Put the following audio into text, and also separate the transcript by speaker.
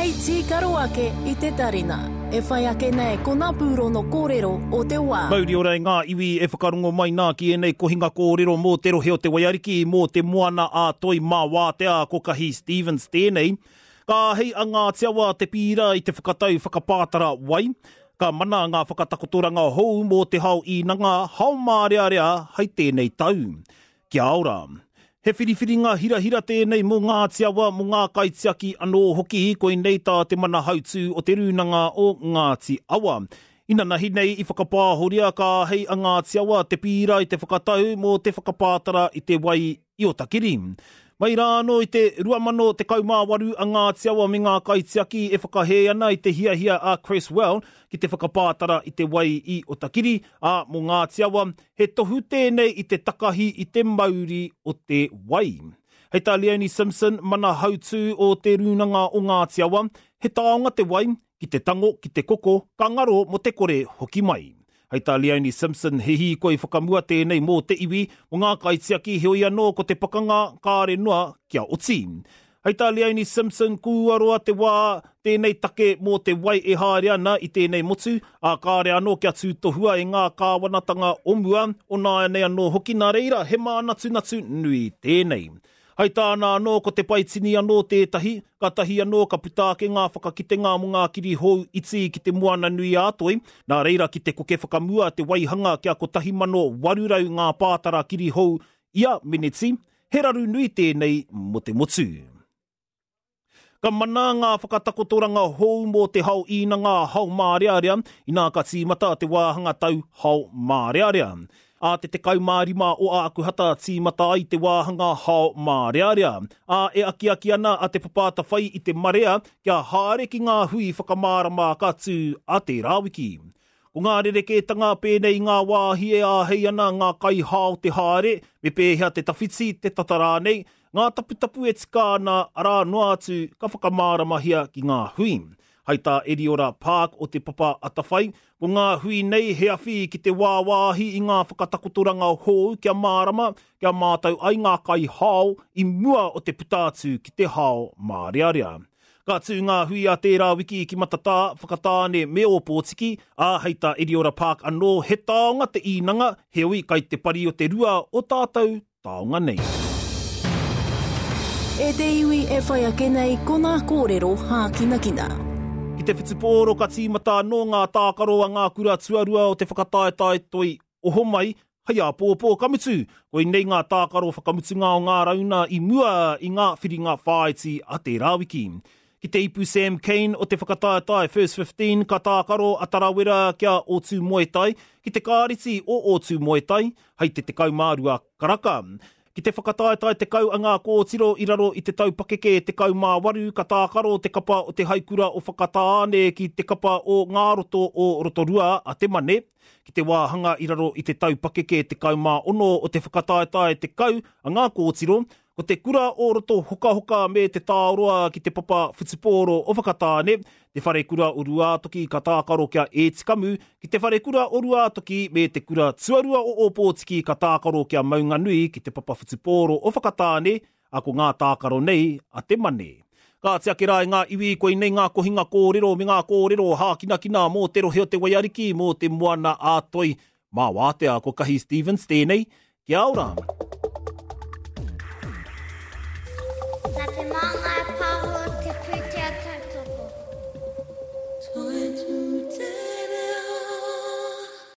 Speaker 1: Hei tīkaro ake i te tarina. E whai ake nei ko ngā pūrono kōrero o te wā.
Speaker 2: Mauri ora e ngā iwi e whakarongo mai nā ki ēnei kohinga kōrero mō te rohe o Te Waiariki, mō te moana a Toi mā Wātea, ko Kahi Stevens tēnei. Ka āhei a Ngāti Awa te pīra i te whakatau whakapātara wai. Ka mana ngā whakatakotoranga hou mō te hao īnanga, hao mārearea hei tēnei tau. Kia ora. He whiriwhiringa hirahira tēnei mō Ngāti Awa, mō ngā kaitiaki anō hoki, koinei tā te Manahautū o Te Rūnanga o Ngāti Awa. Inanahi nei i whakapāhoria ka āhei a Ngāti Awa te pīra i te whakatau mō te whakapātara i te wai i Otakiri. Mai rā anō i te 2018 a Ngāti Awa me ngā kaitiaki e whakahē ana i te hiahia a Cresswell ki te whakapātara i te wai i Otakiri, ā, mō Ngāti Awa, He tohu tēnei i te takahi i te mauri o te wai. Hei tā Leonie Simpson, mana hautū o Te Rūnanga o Ngāti Awa, he taonga te wai, ki te tango, ki te koko, ka ngaro mō te kore hoki mai. Hei tā Leonie Simpson, he hīkoi whakamua tēnei mō te iwi, mō ngā kaitiaki, heoi anō ko te pakanga kāre noa kia oti. Hei tā Leonie Simpson, kua roa te wā tēnei take mō te wai e haere ana i tēnei motu, ā, kāre anō kia tūtohua e ngā kāwanatanga o mua, o nāianei anō hoki, nā reira, he mānatunatu nui tēnei. Hei tāna anō, ko te paitini anō tētahi, kātahi anō ka puta ake ngā whakakitenga mō ngā kirihou iti ki te Moana-nui-ā-Toi, nā reira ki te koke whakamua te waihanga kia 1,800 ngā pātara kirihou ia meneti, He raru nui tēnei mō te motu. Ka mana ngā whakatakotoranga hou mō te hao īnanga hao mārearea inā ka tīmata te wāhanga tau hao mārearea. Ā te 15 o Ākuhata tīmata ai te wāhanga hao mārearea, ā, e akiaki ana a Te Papa Atawhai i te marea kia haere ki ngā hui whakamārama ka tū ā tērā wiki. Ko ngā rerekētanga pēnei i ngā wāhi e āhei ana ngā kaihao te haere, me pēhea te tawhiti, te tata rānei, ngā taputapu e tika ana, arā noa atu ka whakamāramahia ki ngā hui. Hai tā Eriora Park o Te Papa Atawhai, ko ngā hui nei he awhi ki te wāwāhi i ngā whakatakotoranga hou kia mārama, kia mātau ai ngā kaihao i mua o te puta atu ki te hao mārearea. Ka tū ngā hui a tērā wiki ki Matatā, Whakatāne me Ōpōtiki, ā, hei tā Eriora Park anō, he taonga te īnanga, heoi kai te pari o te rua o tātou taonga nei.
Speaker 1: E te iwi e whai ake nei ko ngā kōrero hākinakina.
Speaker 2: Ki te whutupōro ka tīmata anō ngā tākaro a ngā kura tuarua o te whakataetae toi Ohomai hei āpōpō, ka mutu, koinei ngā tākaro whakamutunga o ngā rauna i mua i ngā whiringa whāiti a tērā wiki. Ki te ipu Sam Cane o te whakataetae First 15 ka tākaro a Tarawera kia Ōtūmoetai ki te kāriti o Ōtūmoetai hei te 12 karaka. Ki te whakataetae 10 a ngā kōtiro i raro i te tau pakeke 18 ka tākaro te kapa o te Haikura o Whakatāne ki te kapa o Ngā Roto o Rotorua a Te Mane. Ki te wāhanga i raro i te tau pakeke 16 o te whakataetae 10 a ngā kōtiro, ko te kura o Roto Hokahoka me Te Tāoroa ki te papa whutupōro o Whakatāne, Te Wharekura o Ruātoki ka tākaro ki a Ētikamu, ki Te Wharekura o Ruātoki me Te Kura Tuarua o Ōpōtiki ka tākaro ki a Maunganui ki te papa whutupōro o Whakatāne, ā, ko ngā tākaro nei a Te Mane. Kāti ake rā e ngā iwi, koinei ngā kohinga kōrero me ngā kōrero hākinakina mō te rohe o Te Waiariki, mō te Moana ā-Toi. Mā Wātea, ko Kahi Stevens tēnei. Kia ora!